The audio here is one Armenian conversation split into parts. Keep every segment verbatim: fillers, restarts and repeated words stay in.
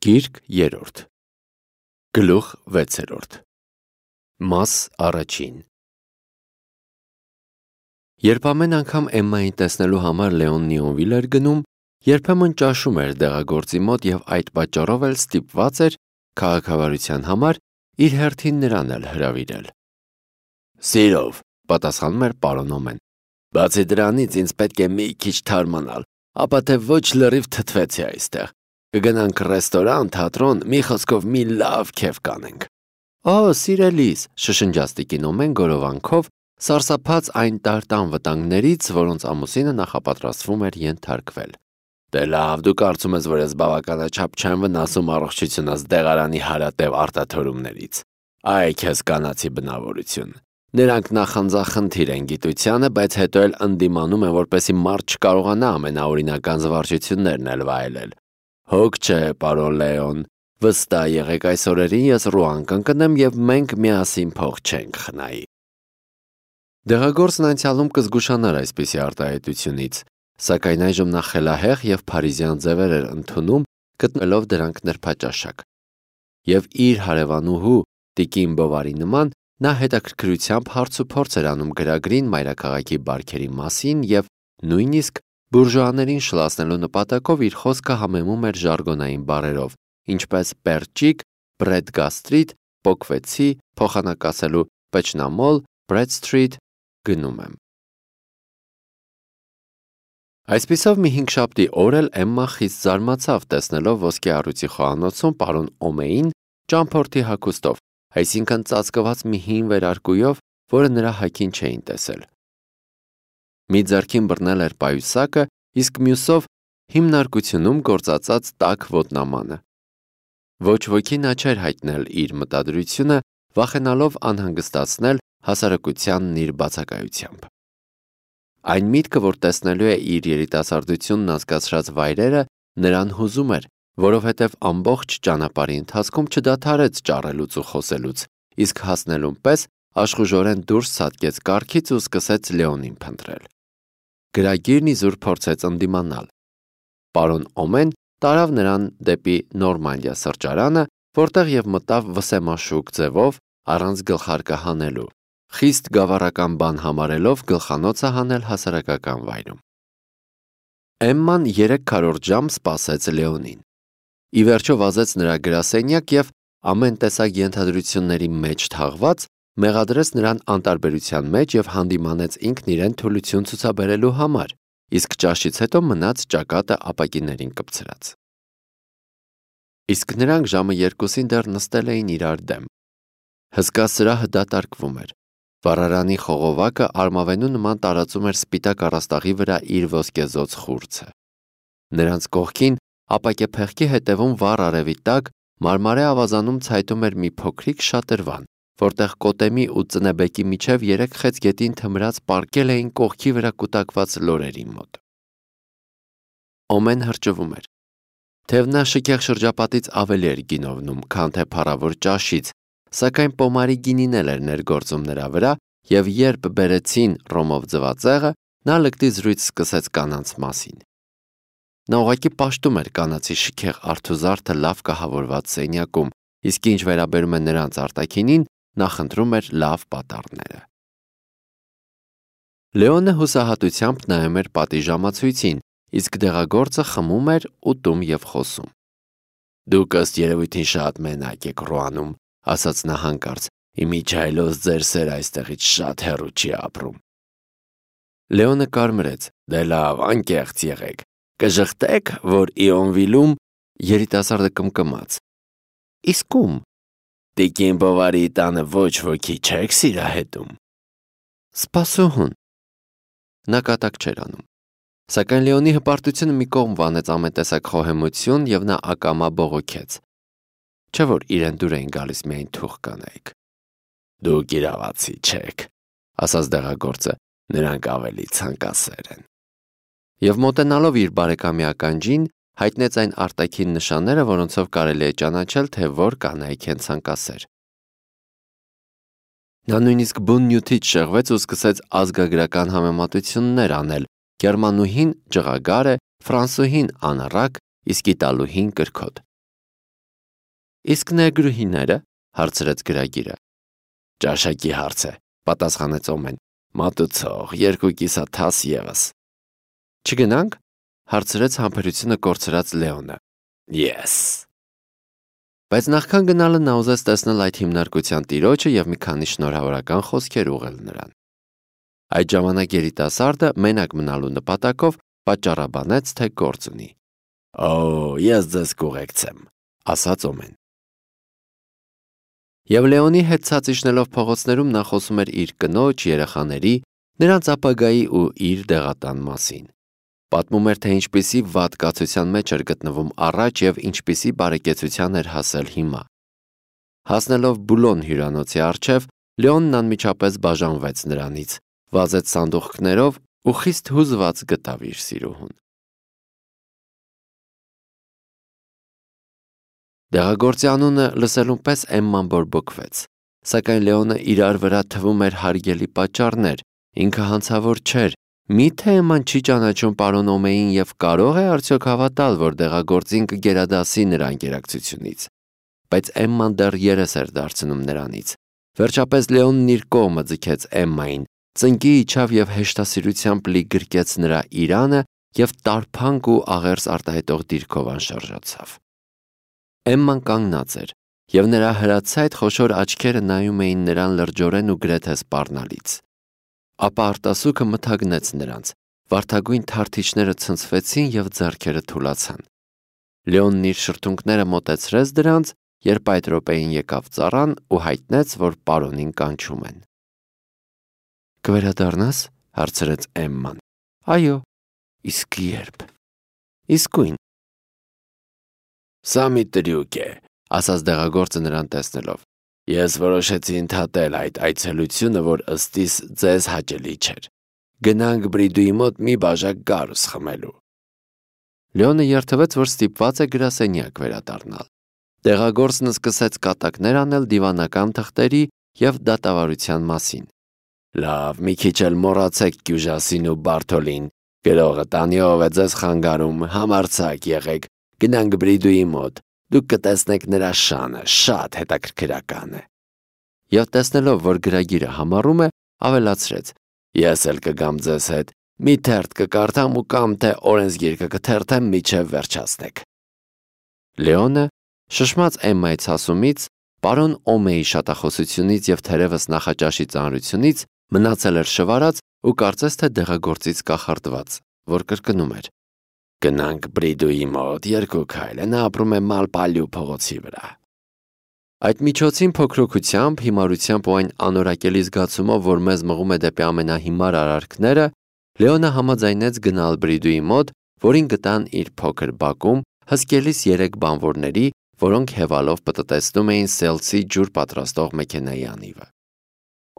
Գիրք երրորդ Գլուխ վեցերորդ Մաս առաջին Երբ ամեն անգամ Էմմային տեսնելու համար Լեոն Նիոնվիլ էր գնում, երբեմն ճաշում էր դեղագործի մոտ և այդ պատճառով էլ ստիպված էր քաղաքավարության համար իր հերթին նրան էլ հրավիրել։ Սիրով, պատասխանում էր պարոն Օմեն, բացի դրանից ինձ պետք է մի քիչ թարմանալ, ապա թե ոչ լրիվ թթվեցի այստեղ։ Կգնանք ռեստորան, թատրոն, մի խոսքով մի լավ քեֆ կանենք։ Օ, սիրելիս, շշնջաց տիկին Օմեն գորովանքով, սարսափած այն տարտան վտանգներից, որոնց ամուսինը նախապատրաստվում էր ենթարկվել։ Դե լավ, դու կարծում ես, որ ես բավականաչափ չեմ վնասում առողջությունս դեղարանի հարատև արտաթորումներից։ Այ քեզ կանացի բնավորություն։ Նրանք նախանձախնդիր են գիտությանը, բայց հետո էլ ընդդիմանում են, որպեսզի մարդ չկարողանա ամենաօրինական զվարճություններն էլ վայելել։ Հոգ չէ, պարոն Լեոն, վստահ եղեք այս օրերին ես Ռուան կընկնեմ և մենք միասին փող չենք խնայի։ Դեղագործն անցյալում կզգուշանար այսպիսի արտահայտությունից, սակայն այժմ նա խելահեղ և փարիզյան ձևեր էր ընդունում, գտնելով դրանք նրբաճաշակ։ Եվ իր հարևանուհու տիկին Բովարի նման, նա հետաքրքրությամբ հարց ու փորձ էր անում գրագրին մայրաքաղաքի բարքերի մասին և նույնիսկ բուրժուաներին շլացնելու նպատակով իր խոսքը համեմում էր ժարգոնային բառերով, ինչպես պերճիկ, բրեդ-գաստրիտ, պոկվեցի, փոխանակ ասելու պեչնամոլ, բրեդ-սթրիթ, գնում եմ։ Այսպիսով մի հինգշաբթի օր էլ Էմմա խիստ զարմացավ տեսնելով ոսկե առյուծի խոհանոցում պարոն Օմեին ճամփորդի հագուստով, այսինքն ծածկված մի հին վերարկուով, որը նրա հագին չէին տեսել։ Մի ձեռքին բռնել էր պայուսակը, իսկ մյուսով հիմնարկությունում գործածած տաք ոտնամանը։ Ոչ ոքի նա չէր հայտնել իր մտադրությունը, վախենալով անհանգստացնել հասարակությանն իր բացակայությամբ։ Այն միտքը, որ տեսնելու է իր երիտասարդությունն անցկացրած վայրերը, նրան հուզում էր, որովհետև ամբողջ ճանապարհի ընթացքում չդադարեց ճառելուց ու խոսելուց, իսկ հասնելուն պես աշխուժորեն դուրս ցատկեց կառքից ու սկսեց Լեոնին փնտրել։ Գրագիրն իզուր փորձեց ընդդիմանալ։ Պարոն Օմեն տարավ նրան դեպի Նորմանդիա սրճարանը, որտեղ և մտավ վսեմաշուկ ձևով, առանց գլխարկը հանելու, խիստ գավառական բան համարելով գլխանոցը հանել հասարակական վայրում։ Էմման երեք քառորդ ժամ սպասեց Լեոնին։ Ի վերջո վազեց նրա գրասենյակ և ամեն տեսակ ենթադրությունների մեջ թաղված մեղադրեց նրան անտարբերության մեջ և հանդիմանեց ինքն իրեն թուլություն ցուցաբերելու համար, իսկ ճաշից հետո մնաց ճակատը ապակիներին կպցրած։ Իսկ նրանք ժամը երկուսին դեռ նստել էին իրար դեմ։ Հսկա սրահը դատարկվում էր։ Վառարանի խողովակը արմավենու նման տարածում էր սպիտակ առաստաղի վրա իր ոսկեզօծ խուրձը։ Նրանց կողքին ապակեպեղքի հետևում վառ արևի տակ մարմարե ավազանում ցայտում էր մի փոքրիկ շատրվան, որտեղ կոտեմի ու ծնեբեկի միջև երեք խեց գետին թմրած պառկել էին կողքի վրա կուտակված լորերի մոտ։ Օմեն հրճվում էր։ Թեև նա շքեղ շրջապատից ավելի էր գինովնում, քան թե փառավոր ճաշից, սակայն պոմարի գինին էլ էր ներգործում նրա վրա, և երբ բերեցին ռոմով ձվածեղը, նա լկտի զրույց սկսեց կանանց մասին։ Նա ուղղակի պաշտում էր կանացի շքեղ արթուզարդը լավ կահավորված սենյակում, իսկ ինչ վերաբերում է նրանց արտաքինին, նա խնդրում էր լավ պատառները։ Լեոնը հուսահատությամբ նայում էր պատիժամացույցին, իսկ դեղագործը խմում էր, ուտում և խոսում։ Դուք ըստ երևույթին շատ մենակ եք Ռուանում, ասաց նա հանկարծ, իմիջիայլոց ձեր սերը այստեղից շատ հեռու չի ապրում։ Լեոնը կարմրեց, դե լավ, անկեղծ եղեք, կժխտեք, որ Իոնվիլում երիտասարդը կմկմաց։ Իսկ ում։ Տիկին Բովարի տանը ոչ ոքի չեք սիրահետում։ Սպասուհուն։ Նա կատակ չէր անում։ Սակայն Լեոնի հպարտությունը մի կողմ վանեց ամեն տեսակ խոհեմություն և նա ակամա բողոքեց։ Չէ՞ որ իրեն դուր էին գալիս միայն թուղ կանայք։ Դուք իրավացի չեք, ասաց դեղագործը, նրանք ավելի ցանկասեր են։ Եվ մոտենալով իր բարեկամի ականջին, հայտնեց այն արտաքին նշանները, որոնցով կարելի է ճանաչել, թե որ կանայք են ցանկասեր։ Նա նույնիսկ բուն նյութից շեղվեց ու սկսեց ազգագրական համեմատություններ անել, գերմանուհին ջղագար է, ֆրանսուհին անառակ, իսկ իտալուհին կրքոտ։ Իսկ ներգրուհիները, հարցրեց գրագիրը։ Ճաշակի հարց է, պատասխանեց Օմեն։ Մատուցող, երկու կիսաթաս ևս։ Չգնանք, հարցրեց համբերությունը կորցրած Լեոնը։ Yes։ Բայց նախքան գնալը նա ուզեց տեսնել այդ հիմնարկության տիրոջը եւ մի քանի շնորհավորական խոսքեր ուղղել նրան։ Այդ ժամանակ երիտասարդը մենակ մնալու նպատակով պատճառաբանեց, թե գործ ունի։ Օ, ես ձեզ կուղեկցեմ, ասաց Օմեն։ Եվ Լեոնի հետ ցած իջնելով փողոցներում նա խոսում էր իր կնոջ, երեխաների, նրանց ապագայի ու իր դեղատան մասին։ Պատմում էր, թե ինչպիսի վատ կացության մեջ էր գտնվում առաջ եւ ինչպիսի բարեկեցության էր հասել հիմա։ Հասնելով Բուլոն հյուրանոցի առջև, Լեոնն անմիջապես բաժանվեց նրանից, վազեց սանդուղքներով ու խիստ հուզված գտավ իր սիրուհուն։ Դեղագործի անունը լսելուն պես Էմման բորբոքվեց, սակայն Լեոնը իրար վրա թվում էր հարգելի պատճառներ, ինքը հանցավոր չէր, միթե Էմման չի ճանաչում պարոն Օմեին եւ կարող է արդյոք հավատալ, որ դեղագործին կգերադասի նրան գերակցությունից։ Բայց Էմման դեռ երես էր դարձնում նրանից։ Վերջապես Լեոնն իր կողմը ձգեց Էմմային, ծնկի իջավ եւ հեշտասիրությամբ լի գրկեց նրա իրանը եւ տարփանք ու աղերս արտահայտող դիրքով անշարժացավ։ Էմման կանգնած էր, եւ նրա հրացայտ խոշոր աչքերը նայում էին նրան լրջորեն ու գրեթե սպառնալից։ Ապա արտասուքը մթագնեց նրանց, վարդագույն թարթիչները ցնցվեցին եւ ձեռքերը թուլացան։ Լեոնն իր շրթունքները մոտեցրեց դրանց, երբ այդ րոպեին եկավ ծառան ու հայտնեց, որ պարոնին կանչում են։ Կվերադառնաս, հարցրեց Էմման։ Այո, իսկ երբ։ Իսկույն։ Սա մի տրյուկ է, ասաց դեղագործը նրան տեսնելով։ Ես որոշեցի ընդհատել այդ այցելությունը, որ ըստիս ձեզ հաճելի չէր։ Գնանք Բրիդուի մոտ մի բաժակ գարուս խմելու։ Լեոնը երթվեց, որ ստիպված է գրասենյակ վերադառնալ։ Դեղագործն սկսեց կատակներ անել դիվանական թղթերի եւ դատավարության մասին։ Լավ, մի քիչ էլ մոռացեք Կյուժասին ու Բարթոլին։ Գրողը տանիով է ձեզ խանգարում, համարձակ եղեք, գնանք Բրիդուի մոտ, դուք կտեսնեք նրա շանը, շատ հետաքրքրական է։ Եվ տեսնելով, որ գրագիրը համառում է, ավելացրեց. Ես էլ կգամ ձեզ հետ, մի թերթ կկարդամ ու կամ թե օրենսգիրքը կթերթեմ միջև վերջացնեք։ Լեոնը, շշմած Էմմայի ցասումից, պարոն Օմեի շատախոսությունից եւ թերևս նախաճաշի ծանրությունից մնացել էր շվարած ու կարծես թե դեղագործից կախարդված, որ կրկնում էր. Գնանք Բրիդուի մոտ, երկու քայլ է, նա ապրում է Մալպալյու փողոցի վրա։ Այդ միջոցին փոքրոքությամբ, հիմարությամբ ու այն անորակելի զգացումով, որ մեզ մղում է դեպի ամենահիմար արարքները, Լեոնը համաձայնեց գնալ Բրիդուի մոտ, որին գտան իր փոքր բակում հսկելիս երեք բանվորների, որոնք հևալով պտտեցնում էին սելցի ջուր պատրաստող մեքենայի անիվը։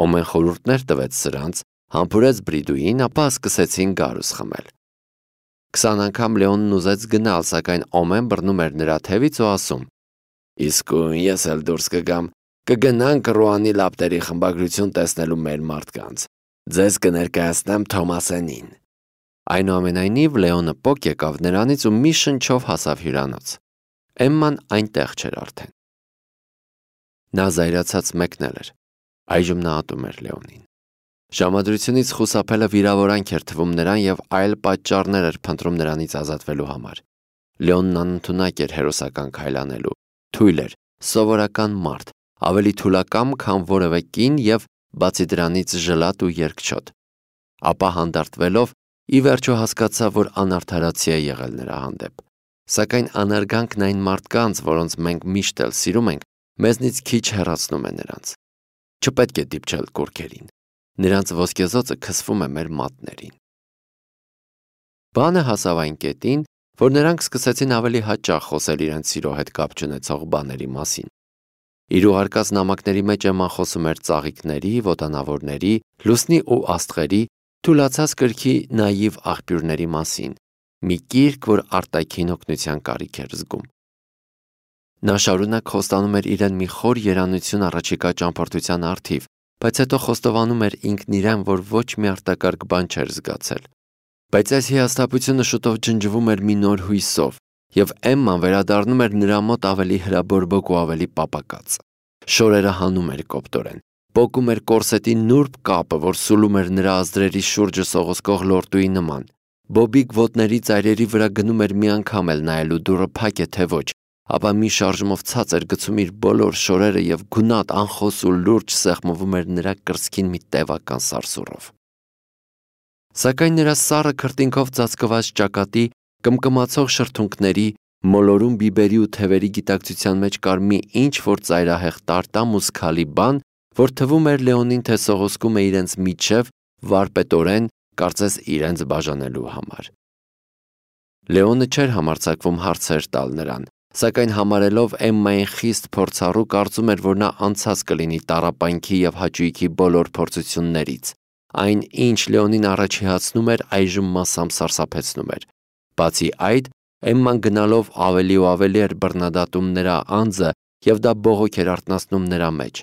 Օմեն խորհուրդներ տվեց սրանց, համբուրեց Բրիդուին, ապա սկսեցին գարուս խմել։ Քսան անգամ Լեոնն ուզեց գնալ, սակայն Օմեն բռնում էր նրա թևից ու ասում. Իսկույն ես էլ դուրս կգամ, կգնանք Ռուանի լապտերի խմբագրություն տեսնելու մեր մարդկանց։ Ձեզ կներկայացնեմ Թոմասենին։ Այնուամենայնիվ Լեոնը պոկ եկավ նրանից ու մի շնչով հասավ հյուրանոց։ Էմման այնտեղ չէր արդեն։ Նա զայրացած մեկնել էր։ Այժմ նա ատում էր Լեոնին։ Ժամադրությունից խուսափելը վիրավորանք էր թվում նրան եւ այլ պատճառներ էր փնտրում նրանից ազատվելու համար։ Լեոնն անընդունակ էր հերոսական քայլանելու, թույլ էր, սովորական մարդ, ավելի թուլակամ, քան որևէ կին եւ բացի դրանից ժլատ ու երկչոտ։ Ապա հանդարտվելով ի վերջո հասկացավ, որ անարդարացի է եղել նրա հանդեպ։ Սակայն անարգանքն այն մարդկանց, որոնց մենք միշտ էլ սիրում ենք, մեզնից քիչ հեռացնում է նրանց։ Չպետք է դիպչել կուռքերին։ Նրանց ոսկեզոցը քսվում է մեր մատներին։ Բանը հասավ այն կետին, որ նրանք սկսեցին ավելի հաճախ խոսել իրենց սիրո հետ կապ չունեցող բաների մասին։ Իր ուղարկած նամակների մեջ Էմման խոսում էր ծաղիկների, ոտանավորների, լուսնի ու աստղերի, թուլացած կրքի նաիվ աղբյուրների մասին, մի կիրք, որ արտաքին օգնության կարիք էր զգում։ Նա շարունակ խոստանում էր իրեն մի խոր երանություն առաջիկա ճամփորդության առթիվ, բայց հետո խոստովանում էր ինքն իրեն, որ ոչ մի արտակարգ բան չէր զգացել։ Բայց այս հիասթափությունը շուտով ջնջվում էր մի նոր հույսով, եւ Էմման վերադառնում էր նրա մոտ ավելի հրաբորբոք ու ավելի պապակած։ Շորերը հանում էր կոպտորեն, պոկում էր կորսետի նուրբ կապը, որ սուլում էր նրա ազդրերի շուրջը սողոսկող լորդուի նման։ Բոբիկ ոտների ծայրերի վրա գնում էր մի անգամ էլ նայելու դուռը փակ է թե ոչ, ապա մի շարժումով ցած էր գցում իր բոլոր շորերը եւ գունատ անխոս ու լուրջ սեղմվում էր նրա կրծքին մի տևական սարսուռով։ Սակայն նրա սառը քրտինքով ծածկված ճակատի, կմկմացող շրթունքների, մոլորում բիբերի ու թևերի գիտակցության մեջ կար մի ինչ-որ ծայրահեղ տարտամ ու սքալի բան, որ թվում էր Լեոնին, թե սողոսկում է իրենց միջև վարպետորեն, կարծես իրենց բաժանելու համար։ Լեոնը չէր համարձակվում հարցեր տալ նրան, սակայն համարելով Էմմային խիստ փորձառու, կարծում էր, որ նա անցած կլինի տառապանքի եւ հաճույքի բոլոր փորձություններից։ Այն, ինչ Լեոնին առաջիհացնում էր, այժմ մասամբ սարսափեցնում էր։ Բացի այդ, Էմման գնալով ավելի ու ավելի էր բռնադատում նրա անձը եւ դա բողոք էր արթնացնում նրա մեջ։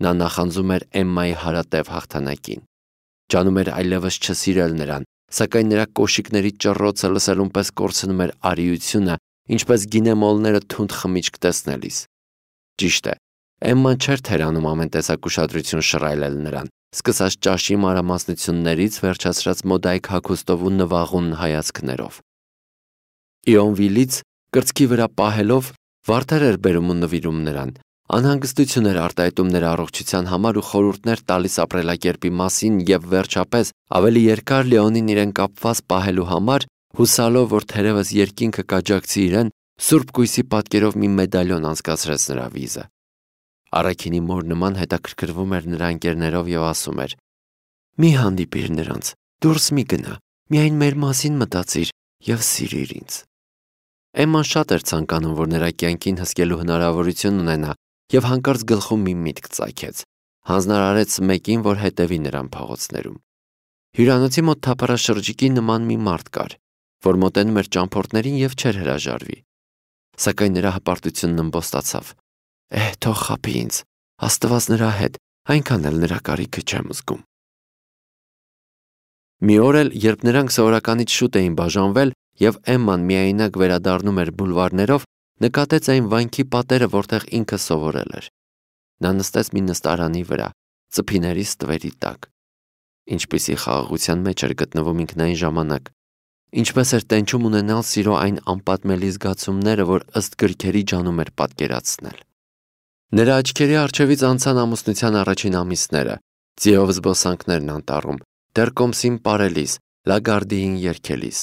Նա նախանձում էր Էմմայի հարատև հաղթանակին։ Ջանում էր այլևս չսիրել նրան, սակայն նրա կոշիկների ճռռոցը լսելուն պես կորցնում էր արիությունը, ինչպես գինեմոլները թունդ խմիչք տեսնելիս։ Ճիշտ է, Էմման չէր թերանում ամեն տեսակ ուշադրություն շռայլել նրան, սկսած ճաշի մանրամասնություններից, վերջացրած մոդայիկ հագուստով ու նվաղուն հայացքներով։ Իոնվիլից կրծքի վրա պահելով վարդեր էր բերում ու նվիրում նրան, անհանգստություն էր արտահայտում նրա առողջության համար ու խորհուրդներ տալիս ապրելակերպի մասին եւ վերջապես ավելի երկար Լեոնին իրեն կապված պահելու համար, հուսալով, որ թերևս երկինքը կաջակցի իրեն, սուրբ կույսի պատկերով մի մեդալյոն անցկացրեց նրա վիզը։ Առաքինի մոր նման հետաքրքրվում էր նրա ընկերներով եւ ասում էր. «Մի հանդիպիր նրանց, դուրս մի գնա, միայն մեր մասին մտածիր եւ սիրիր ինձ»։ Էմման շատ էր ցանկանում, որ նրա կյանքին հսկելու հնարավորություն ունենա եւ հանկարծ գլխում մի միտք ծագեց։ Հանձնարարեց մեկին, որ հետևի նրան փողոցներում։ Հյուրանոցի մոտ թափառաշրջիկի նման մի մարդ կար, որ մոտենում էր ճամփորդներին եւ չէր հրաժարվի։ Սակայն նրա հպարտությունն ըմբոստացավ։ «Է, թող խաբի ինձ, Աստված նրա հետ, այնքան էլ նրա կարիքը չեմ զգում»։ Մի օր էլ, երբ նրանք սովորականից շուտ էին բաժանվել եւ Էմման միայնակ վերադառնում էր բուլվարներով, նկատեց այն վանքի պատերը, որտեղ ինքը սովորել էր։ Նա նստեց մի նստարանի վրա, ծփիների ստվերի տակ։ Ինչպիսի խաղաղության մեջ էր գտնվում ինքն այն ժամանակ, ինչպես էր տենչում ունենալ սիրո այն անպատմելի զգացումները, որ ըստ գրքերի ջանում էր պատկերացնել։ Նրա աչքերի առջևից անցան ամուսնության առաջին ամիսները, ձիով զբոսանքներն անտառում, դեռ կոմսին պարելիս, լագարդիին երգելիս։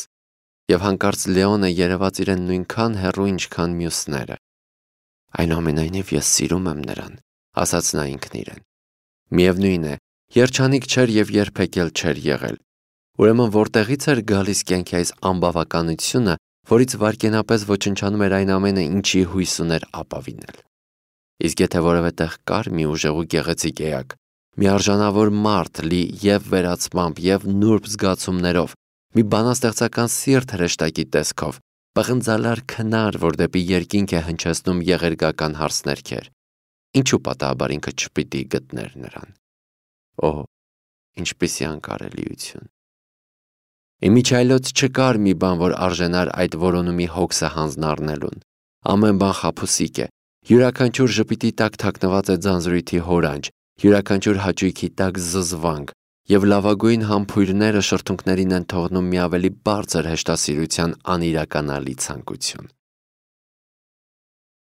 Եվ հանկարծ Լեոնը երևաց իրեն նույնքան հեռու, ինչքան մյուսները։ «Այնուամենայնիվ ես սիրում եմ նրան», ասաց նա ինքն իրեն։ Միևնույն է, երջանիկ չէր եւ երբեք էլ չէր եղել։ Ուրեմն որտեղից էր գալիս կյանքի այս անբավականությունը, որից վայրկենապես ոչնչանում էր այն ամենը, ինչի հույս ուներ ապավինել։ Իսկ եթե որևէ տեղ կար մի ուժեղ ու գեղեցիկ էակ, մի արժանավոր մարդ լի եւ վերացմամբ եւ նուրբ զգացումներով, մի բանաստեղծական սիրտ հրեշտակի տեսքով, պղնձալար քնար, որ դեպի երկինք է հնչեցնում եղերգական հարսներքեր, ինչու պատահաբար ինքը չպիտի գտներ նրան։ Օ, ինչպիսի անկարելիություն։ Իմիջայլոց չկար մի բան, որ արժանար այդ որոնումի հոգսը հանձնառնելուն։ Ամեն բան խաբուսիկ է, յուրաքանչյուր ժպիտի տակ թաքնված է ձանձրույթի հորանջ, յուրաքանչյուր հաճույքի տակ զզվանք, եւ լավագույն համբույրները շրթունքներին են թողնում մի ավելի բարձր հեշտասիրության անիրականալի ցանկություն։